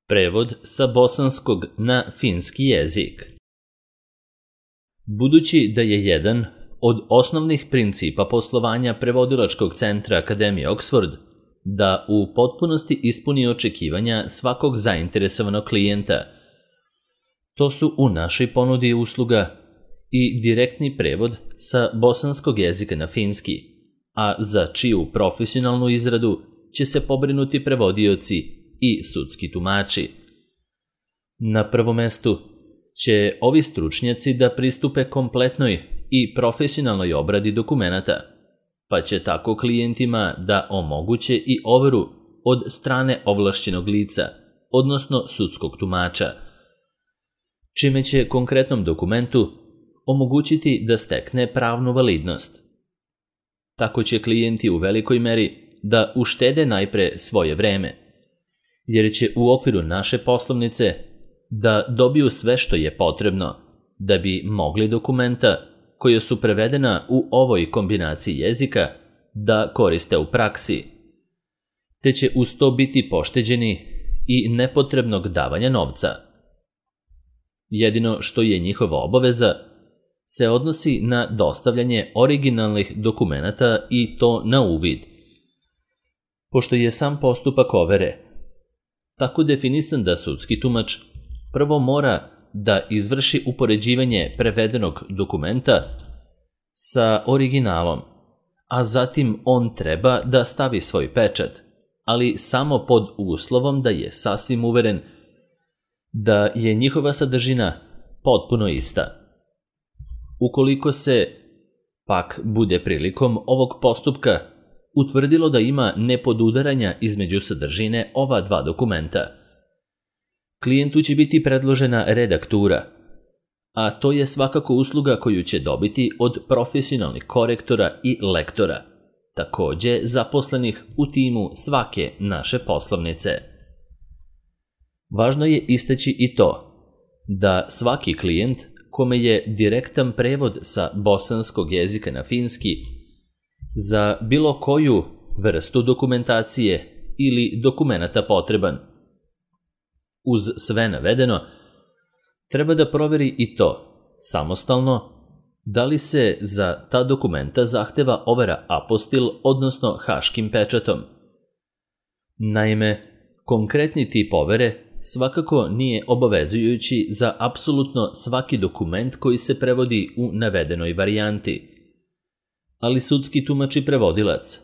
Prevod sa bosanskog na finski jezik. Budući da je jedan od osnovnih principa poslovanja prevodilačkog centra Akademije Oxford da u potpunosti ispuni očekivanja svakog zainteresovanog klijenta, to su u našoj ponudi usluga i direktni prevod sa bosanskog jezika na finski, a za čiju profesionalnu izradu će se pobrinuti prevodioci i sudski tumači. Na prvom mestu će ovi stručnjaci da pristupe kompletnoj i profesionalnoj obradi dokumenata, pa će tako klijentima da omoguće i overu od strane ovlašćenog lica, odnosno sudskog tumača, čime će konkretnom dokumentu omogućiti da stekne pravnu validnost. Tako će klijenti u velikoj meri da uštede najpre svoje vreme, jer će u okviru naše poslovnice da dobiju sve što je potrebno da bi mogli dokumenta koja su prevedena u ovoj kombinaciji jezika da koriste u praksi, te će uz to biti pošteđeni i nepotrebnog davanja novca. Jedino što je njihova obaveza se odnosi na dostavljanje originalnih dokumenata i to na uvid, pošto je sam postupak overe tako definisan da sudski tumač prvo mora da izvrši upoređivanje prevedenog dokumenta sa originalom, a zatim on treba da stavi svoj pečat, ali samo pod uslovom da je sasvim uveren da je njihova sadržina potpuno ista. Ukoliko se pak bude prilikom ovog postupka utvrdilo da ima nepodudaranja između sadržine ova dva dokumenta, klijentu će biti predložena redaktura, a to je svakako usluga koju će dobiti od profesionalnih korektora i lektora, takođe zaposlenih u timu svake naše poslovnice. Važno je istaći i to da svaki klijent kome je direktan prevod sa bosanskog jezika na finski za bilo koju vrstu dokumentacije ili dokumenata potreban, uz sve navedeno, treba da proveri i to samostalno da li se za ta dokumenta zahteva overa apostil, odnosno haškim pečatom. Naime, konkretni tip overe svakako nije obavezujući za apsolutno svaki dokument koji se prevodi u navedenoj varijanti, ali sudski tumač i prevodilac,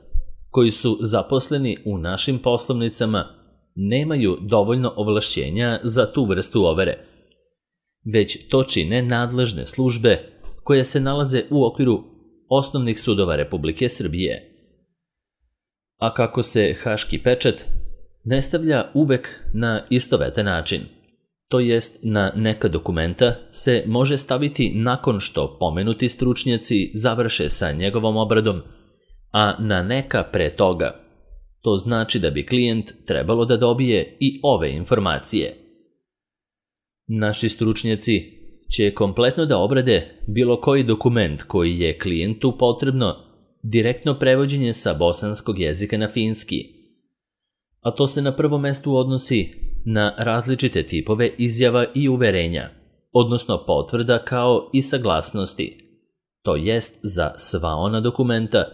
koji su zaposleni u našim poslovnicama, nemaju dovoljno ovlašćenja za tu vrstu overe, već to čine nadležne službe koje se nalaze u okviru osnovnih sudova Republike Srbije. A kako se haški pečat ne stavlja uvek na istovetan način, to jest na neka dokumenta se može staviti nakon što pomenuti stručnjaci završe sa njegovom obradom, a na neka pre toga. To znači da bi klijent trebalo da dobije i ove informacije. Naši stručnjaci će kompletno da obrade bilo koji dokument koji je klijentu potrebno direktno prevođenje sa bosanskog jezika na finski, a to se na prvom mestu odnosi na različite tipove izjava i uverenja, odnosno potvrda kao i saglasnosti, to jest za sva ona dokumenta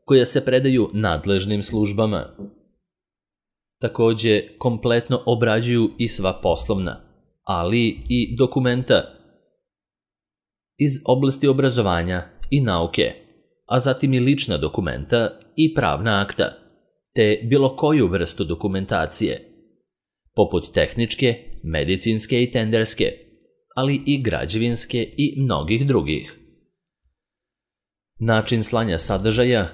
koja se predaju nadležnim službama. Takođe, kompletno obrađuju i sva poslovna, ali i dokumenta iz oblasti obrazovanja i nauke, a zatim i lična dokumenta i pravna akta, te bilo koju vrstu dokumentacije, poput tehničke, medicinske i tenderske, ali i građevinske i mnogih drugih. Način slanja sadržaja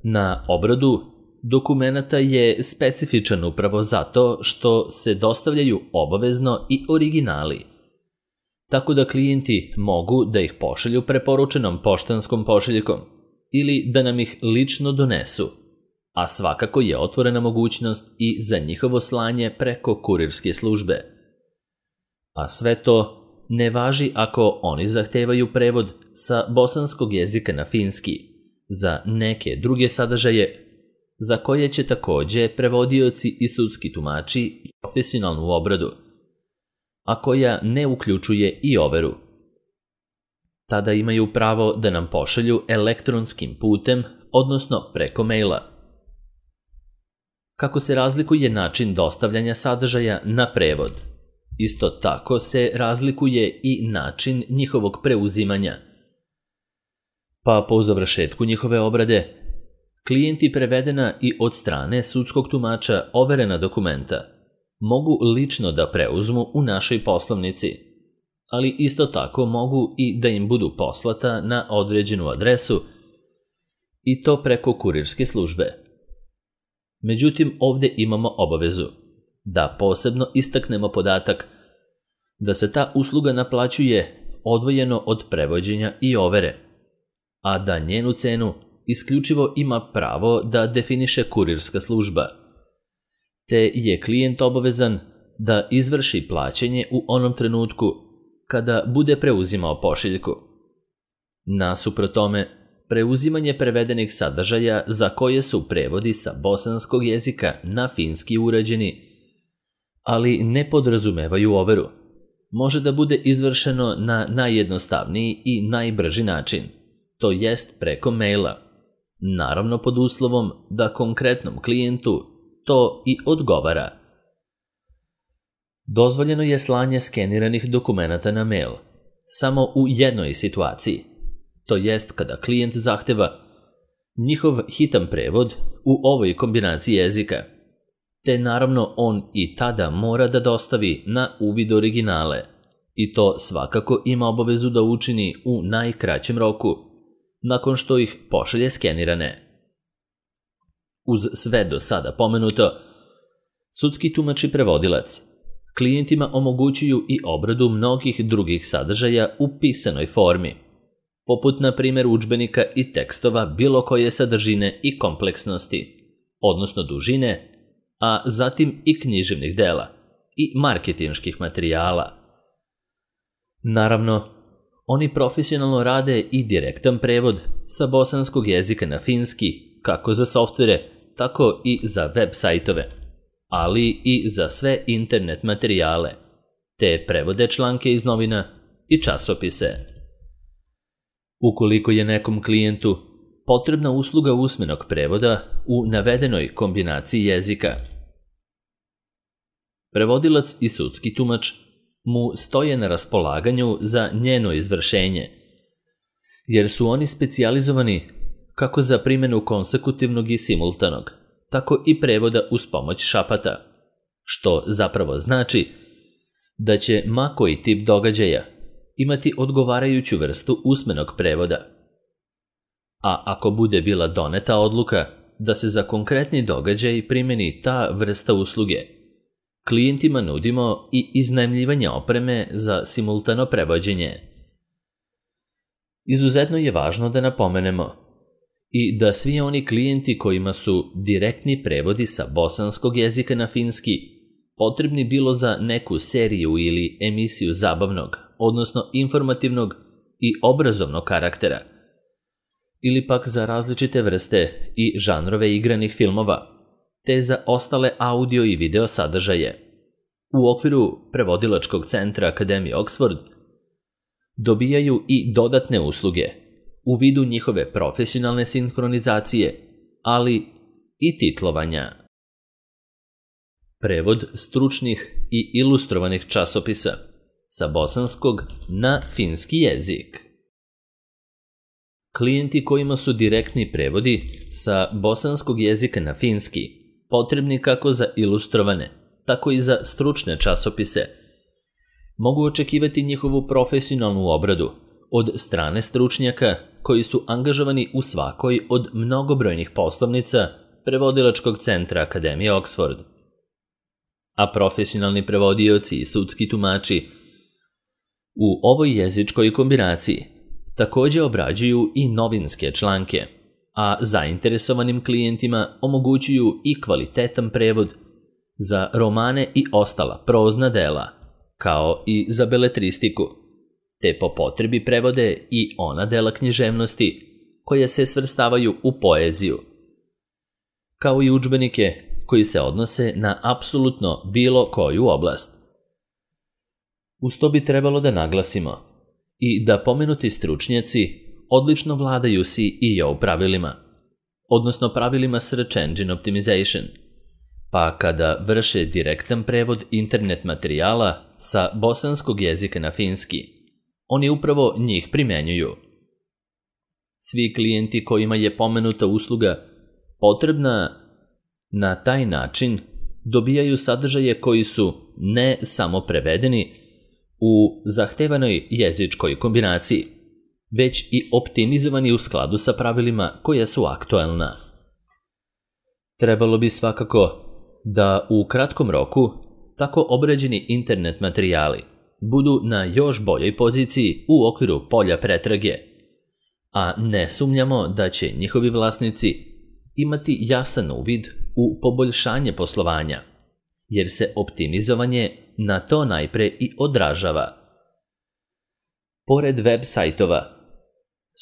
na obradu dokumenata je specifičan upravo zato što se dostavljaju obavezno i originali, tako da klijenti mogu da ih pošalju preporučenom poštanskom pošiljkom ili da nam ih lično donesu, a svakako je otvorena mogućnost i za njihovo slanje preko kurirske službe. A sve to ne važi ako oni zahtevaju prevod sa bosanskog jezika na finski za neke druge sadržaje za koje će takođe prevodioci i sudski tumači profesionalnu obradu a koja ne uključuje i overu. Tada imaju pravo da nam pošalju elektronskim putem, odnosno preko maila. Kako se razlikuje način dostavljanja sadržaja na prevod? Isto tako se razlikuje i način njihovog preuzimanja. Pa po završetku njihove obrade, klijenti prevedena i od strane sudskog tumača overena dokumenta mogu lično da preuzmu u našoj poslovnici, ali isto tako mogu i da im budu poslata na određenu adresu i to preko kurirske službe. Međutim, ovdje imamo obavezu da posebno istaknemo podatak da se ta usluga naplaćuje odvojeno od prevođenja i overe, a da njenu cenu isključivo ima pravo da definiše kurirska služba, te je klijent obavezan da izvrši plaćanje u onom trenutku kada bude preuzimao pošiljku. Nasuprot tome, preuzimanje prevedenih sadržaja za koje su prevodi sa bosanskog jezika na finski urađeni, ali ne podrazumevaju overu, može da bude izvršeno na najjednostavniji i najbrži način, to jest preko maila, naravno pod uslovom da konkretnom klijentu to i odgovara. Dozvoljeno je slanje skeniranih dokumenata na mail samo u jednoj situaciji, to jest kada klijent zahteva njihov hitan prevod u ovoj kombinaciji jezika, te naravno on i tada mora da dostavi na uvid originale i to svakako ima obavezu da učini u najkraćem roku, nakon što ih pošalje skenirane. Uz sve do sada pomenuto, sudski tumač i prevodilac klijentima omogućuju i obradu mnogih drugih sadržaja u pisanoj formi, poput na primjer udžbenika i tekstova bilo koje sadržine i kompleksnosti, odnosno dužine, a zatim i književnih dela i marketinških materijala. Naravno, oni profesionalno rade i direktan prevod sa bosanskog jezika na finski, kako za softvere, tako i za web sajtove, ali i za sve internet materijale, te prevode članke iz novina i časopise. Ukoliko je nekom klijentu potrebna usluga usmenog prevoda u navedenoj kombinaciji jezika, prevodilac i sudski tumač mu stoje na raspolaganju za njeno izvršenje, jer su oni specijalizovani kako za primjenu konsekutivnog i simultanog, tako i prevoda uz pomoć šapata, što zapravo znači da će ma koji tip događaja imati odgovarajuću vrstu usmenog prevoda. A ako bude bila doneta odluka da se za konkretni događaj primjeni ta vrsta usluge, klijentima nudimo i iznajmljivanje opreme za simultano prevođenje. Izuzetno je važno da napomenemo i da svi oni klijenti kojima su direktni prevodi sa bosanskog jezika na finski potrebni bilo za neku seriju ili emisiju zabavnog, odnosno informativnog i obrazovnog karaktera, ili pak za različite vrste i žanrove igranih filmova, te za ostale audio i video sadržaje. U okviru prevodilačkog centra Akademije Oxford dobijaju i dodatne usluge u vidu njihove profesionalne sinhronizacije, ali i titlovanja. Prevod stručnih i ilustrovanih časopisa sa bosanskog na finski jezik. Klijenti kojima su direktni prevodi sa bosanskog jezika na finski potrebni kako za ilustrovane, tako i za stručne časopise, mogu očekivati njihovu profesionalnu obradu od strane stručnjaka koji su angažovani u svakoj od mnogobrojnih poslovnica prevodilačkog centra Akademije Oxford. A profesionalni prevodioci i sudski tumači u ovoj jezičkoj kombinaciji također obrađuju i novinske članke, a zainteresovanim klijentima omogućuju i kvalitetan prevod za romane i ostala prozna dela, kao i za beletristiku, te po potrebi prevode i ona dela književnosti koje se svrstavaju u poeziju, kao i udžbenike koji se odnose na apsolutno bilo koju oblast. Uz to bi trebalo da naglasimo i da pomenuti stručnjaci odlično vladaju SEO pravilima, odnosno pravilima Search Engine Optimization, pa kada vrše direktan prevod internet materijala sa bosanskog jezika na finski, oni upravo njih primjenjuju. Svi klijenti kojima je pomenuta usluga potrebna na taj način dobijaju sadržaje koji su ne samo prevedeni u zahtevanoj jezičkoj kombinaciji, već i optimizovani u skladu sa pravilima koja su aktuelna. Trebalo bi svakako da u kratkom roku tako obrađeni internet materijali budu na još boljoj poziciji u okviru polja pretrage, a ne sumnjamo da će njihovi vlasnici imati jasan uvid u poboljšanje poslovanja, jer se optimizovanje na to najpre i odražava. Pored web sajtova,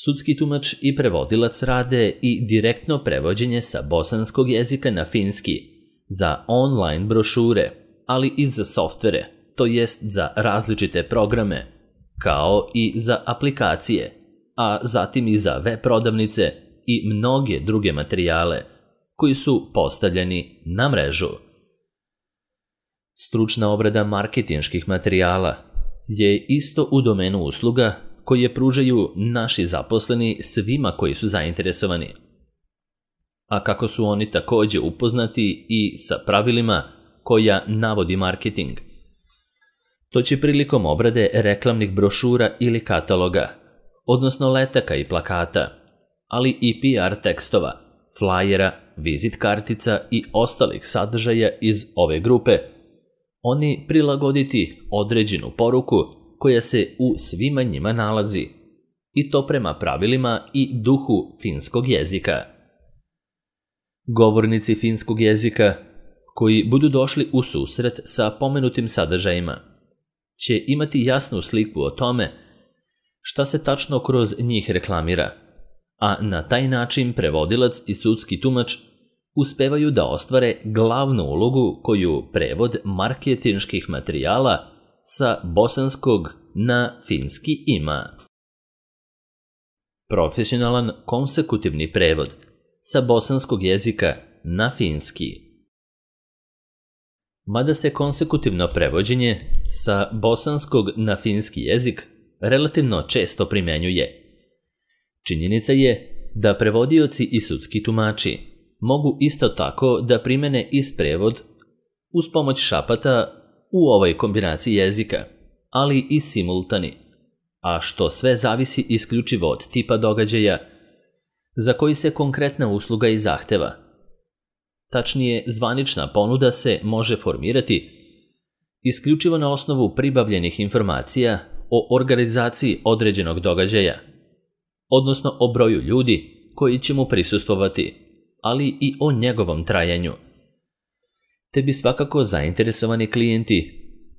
sudski tumač i prevodilac rade i direktno prevođenje sa bosanskog jezika na finski za online brošure, ali i za softvere, to jest za različite programe, kao i za aplikacije, a zatim i za web prodavnice i mnoge druge materijale koji su postavljeni na mrežu. Stručna obrada marketinških materijala je isto u domenu usluga koje pružaju naši zaposleni svima koji su zainteresovani. A kako su oni također upoznati i sa pravilima koja navodi marketing. To će prilikom obrade reklamnih brošura ili kataloga, odnosno letaka i plakata, ali i PR tekstova, flajera, vizit kartica i ostalih sadržaja iz ove grupe, oni prilagoditi određenu poruku koja se u svima njima nalazi, i to prema pravilima i duhu finskog jezika. Govornici finskog jezika koji budu došli u susret sa pomenutim sadržajima će imati jasnu sliku o tome šta se tačno kroz njih reklamira, a na taj način prevodilac i sudski tumač uspevaju da ostvare glavnu ulogu koju prevod marketinških materijala sa bosanskog na finski ima. Profesionalan konsekutivni prevod sa bosanskog jezika na finski. Mada se konsekutivno prevođenje sa bosanskog na finski jezik relativno često primjenjuje, činjenica je da prevodioci i sudski tumači mogu isto tako da primene isprevod uz pomoć šapata u ovoj kombinaciji jezika, ali i simultani, a što sve zavisi isključivo od tipa događaja za koji se konkretna usluga i zahteva. Tačnije, zvanična ponuda se može formirati isključivo na osnovu pribavljenih informacija o organizaciji određenog događaja, odnosno o broju ljudi koji će mu prisustvovati, ali i o njegovom trajanju. Te bi svakako zainteresovani klijenti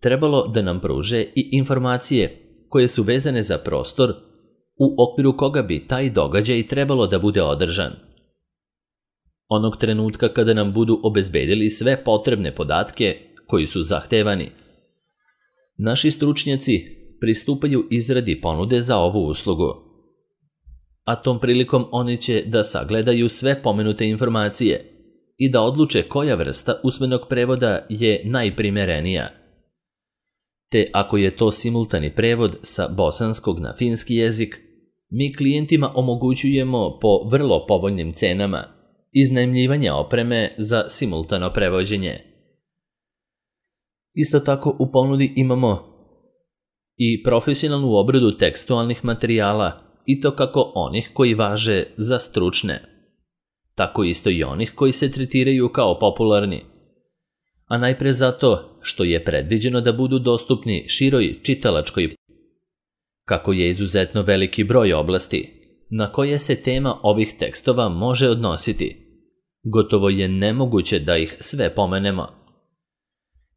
trebalo da nam pruže i informacije koje su vezane za prostor u okviru koga bi taj događaj trebalo da bude održan. Onog trenutka kada nam budu obezbedili sve potrebne podatke koji su zahtevani, naši stručnjaci pristupaju izradi ponude za ovu uslugu. A tom prilikom oni će da sagledaju sve pomenute informacije i da odluče koja vrsta usmenog prevoda je najprimerenija. Te ako je to simultani prevod sa bosanskog na finski jezik, mi klijentima omogućujemo po vrlo povoljnim cenama iznajmljivanje opreme za simultano prevođenje. Isto tako u ponudi imamo i profesionalnu obradu tekstualnih materijala, i to kako onih koji važe za stručne, tako isto i onih koji se tretiraju kao popularni, a najpre zato što je predviđeno da budu dostupni široj čitalačkoj, kako je izuzetno veliki broj oblasti na koje se tema ovih tekstova može odnositi. Gotovo je nemoguće da ih sve pomenemo.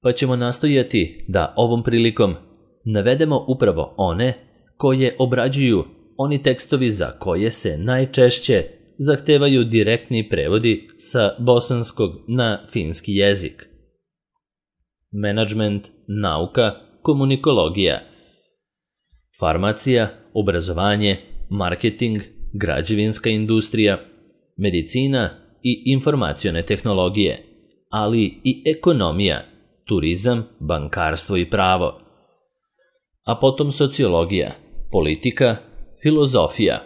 Pa ćemo nastojati da ovom prilikom navedemo upravo one koje obrađuju oni tekstovi za koje se najčešće zahtevaju direktni prevodi sa bosanskog na finski jezik. Menadžment, nauka, komunikologija, farmacija, obrazovanje, marketing, građevinska industrija, medicina i informacione tehnologije, ali i ekonomija, turizam, bankarstvo i pravo. A potom sociologija, politika, filozofija,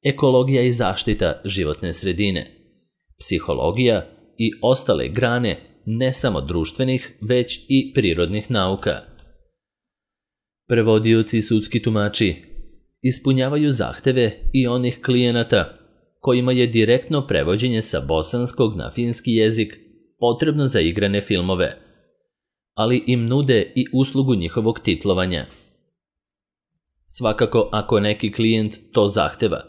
ekologija i zaštita životne sredine, psihologija i ostale grane ne samo društvenih, već i prirodnih nauka. Prevodioci i sudski tumači ispunjavaju zahteve i onih klijenata kojima je direktno prevođenje sa bosanskog na finski jezik potrebno za igrane filmove, ali im nude i uslugu njihovog titlovanja. Svakako, ako neki klijent to zahteva,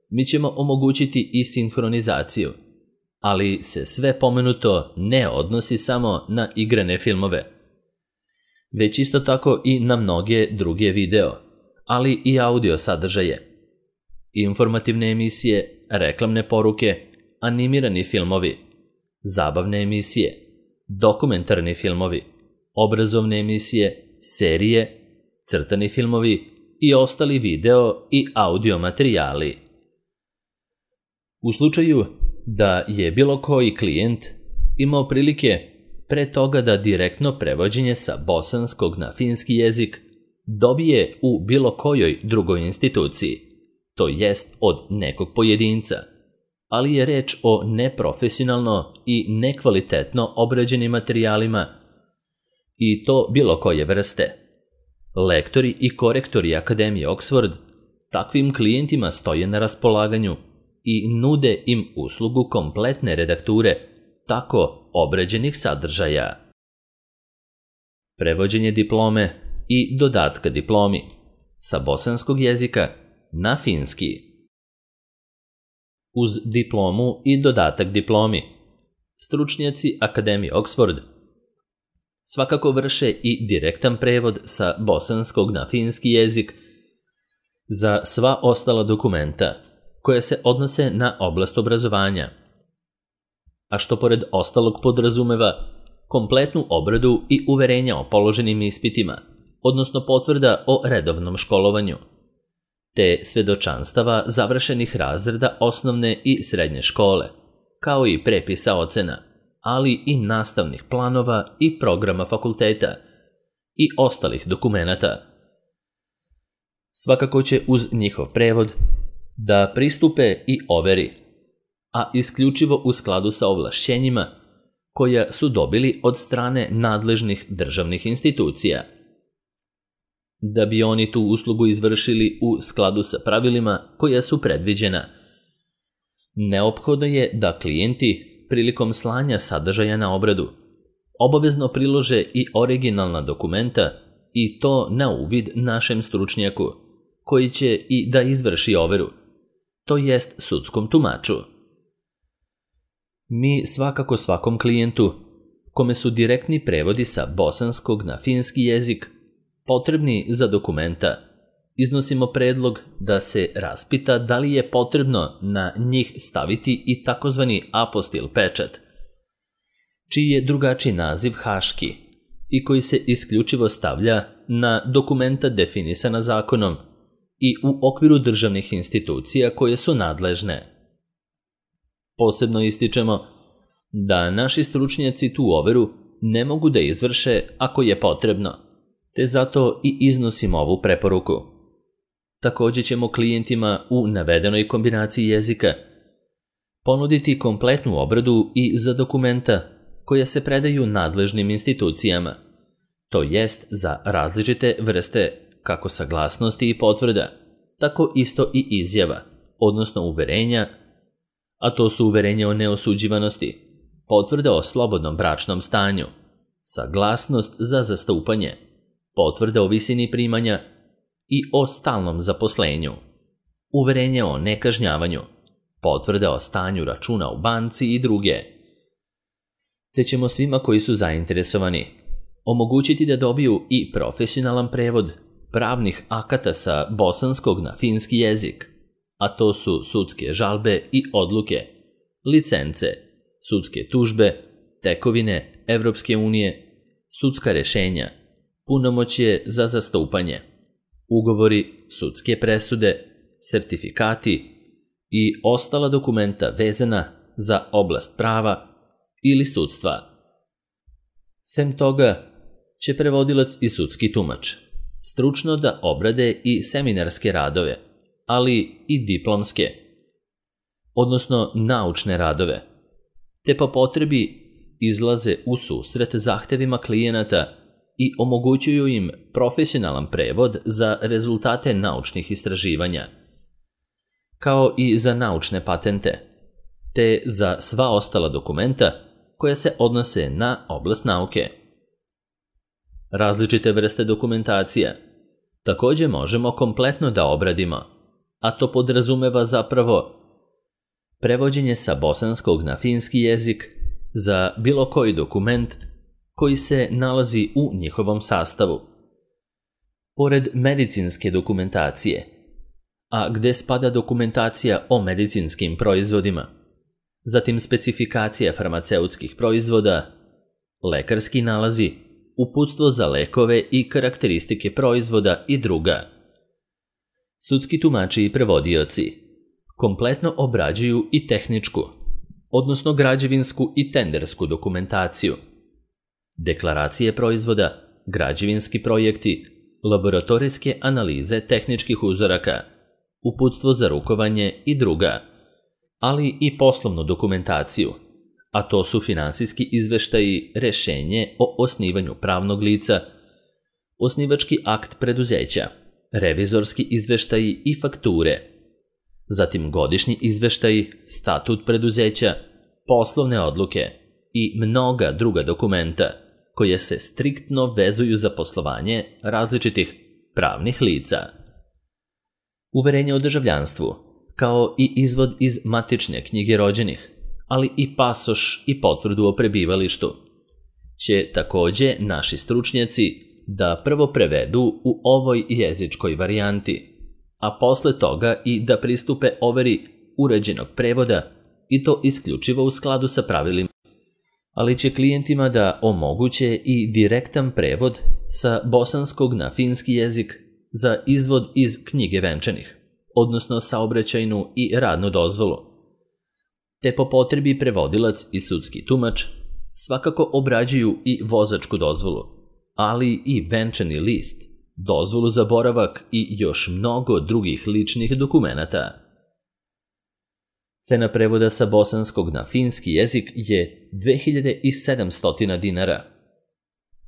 mi ćemo omogućiti i sinhronizaciju, ali se sve pomenuto ne odnosi samo na igrane filmove, već isto tako i na mnoge druge video, ali i audio sadržaje, informativne emisije, reklamne poruke, animirani filmovi, zabavne emisije, dokumentarni filmovi, obrazovne emisije, serije, crtani filmovi i ostali video i audio materijali. U slučaju da je bilo koji klijent imao prilike pre toga da direktno prevođenje sa bosanskog na finski jezik dobije u bilo kojoj drugoj instituciji, to jest od nekog pojedinca, ali je reč o neprofesionalno i nekvalitetno obrađenim materijalima i to bilo koje vrste. Lektori i korektori Akademije Oxford takvim klijentima stoje na raspolaganju i nude im uslugu kompletne redakture tako obrađenih sadržaja. Prevođenje diplome i dodatka diplomi sa bosanskog jezika na finski. Uz diplomu i dodatak diplomi, stručnjaci Akademije Oxford svakako vrše i direktan prevod sa bosanskog na finski jezik za sva ostala dokumenta koje se odnose na oblast obrazovanja, a što pored ostalog podrazumeva kompletnu obradu i uverenja o položenim ispitima, odnosno potvrda o redovnom školovanju, te svedočanstava završenih razreda osnovne i srednje škole, kao i prepisa ocena, ali i nastavnih planova i programa fakulteta i ostalih dokumenata. Svakako će uz njihov prevod da pristupe i overi, a isključivo u skladu sa ovlašćenjima koja su dobili od strane nadležnih državnih institucija. Da bi oni tu uslugu izvršili u skladu sa pravilima koja su predviđena, neophodno je da klijenti prilikom slanja sadržaja na obradu obavezno prilože i originalna dokumenta i to na uvid našem stručnjaku, koji će i da izvrši overu, to jest sudskom tumaču. Mi svakako svakom klijentu, kome su direktni prevodi sa bosanskog na finski jezik potrebni za dokumenta, iznosimo predlog da se raspita da li je potrebno na njih staviti i takozvani apostil pečat, čiji je drugačiji naziv haški i koji se isključivo stavlja na dokumenta definisana zakonom i u okviru državnih institucija koje su nadležne. Posebno ističemo da naši stručnjaci tu overu ne mogu da izvrše ako je potrebno, te zato i iznosimo ovu preporuku. Također ćemo klijentima u navedenoj kombinaciji jezika ponuditi kompletnu obradu i za dokumenta koja se predaju nadležnim institucijama, to jest za različite vrste kako saglasnosti i potvrda, tako isto i izjava, odnosno uverenja, a to su uverenja o neosuđivanosti, potvrda o slobodnom bračnom stanju, saglasnost za zastupanje, potvrda o visini primanja i o stalnom zaposlenju, uverenje o nekažnjavanju, potvrda o stanju računa u banci i druge. Te ćemo svima koji su zainteresovani omogućiti da dobiju i profesionalan prevod pravnih akata sa bosanskog na finski jezik, a to su sudske žalbe i odluke, licence, sudske tužbe, tekovine Evropske unije, sudska rešenja, punomoćje za zastupanje, ugovori, sudske presude, sertifikati i ostala dokumenta vezana za oblast prava ili sudstva. Sem toga će prevodilac i sudski tumač stručno da obrade i seminarske radove, ali i diplomske, odnosno naučne radove, te po potrebi izlaze u susret zahtevima klijenata i omogućuju im profesionalan prevod za rezultate naučnih istraživanja, kao i za naučne patente, te za sva ostala dokumenta koja se odnose na oblast nauke. Različite vrste dokumentacija također možemo kompletno da obradimo, a to podrazumeva zapravo prevođenje sa bosanskog na finski jezik za bilo koji dokument koji se nalazi u njihovom sastavu. Pored medicinske dokumentacije, a gde spada dokumentacija o medicinskim proizvodima, zatim specifikacija farmaceutskih proizvoda, lekarski nalazi, uputstvo za lekove i karakteristike proizvoda i druga. Sudski tumači i prevodioci kompletno obrađuju i tehničku, odnosno građevinsku i tendersku dokumentaciju, deklaracije proizvoda, građevinski projekti, laboratorijske analize tehničkih uzoraka, uputstvo za rukovanje i druga, ali i poslovnu dokumentaciju, a to su finansijski izveštaji, rešenje o osnivanju pravnog lica, osnivački akt preduzeća, revizorski izveštaji i fakture, zatim godišnji izveštaji, statut preduzeća, poslovne odluke i mnoga druga dokumenta koje se striktno vezuju za poslovanje različitih pravnih lica. Uverenje o državljanstvu, kao i izvod iz matične knjige rođenih, ali i pasoš i potvrdu o prebivalištu, će također naši stručnjaci da prvo prevedu u ovoj jezičkoj varijanti, a posle toga i da pristupe overi uređenog prevoda i to isključivo u skladu sa pravilima, ali će klijentima da omoguće i direktan prevod sa bosanskog na finski jezik za izvod iz knjige venčanih, odnosno saobraćajnu i radnu dozvolu. Te po potrebi prevodilac i sudski tumač svakako obrađuju i vozačku dozvolu, ali i venčani list, dozvolu za boravak i još mnogo drugih ličnih dokumenata. Cena prevoda sa bosanskog na finski jezik je 2700 dinara.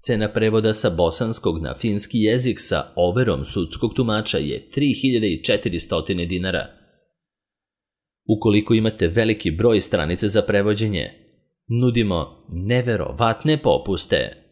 Cena prevoda sa bosanskog na finski jezik sa overom sudskog tumača je 3400 dinara. Ukoliko imate veliki broj stranice za prevođenje, nudimo neverovatne popuste.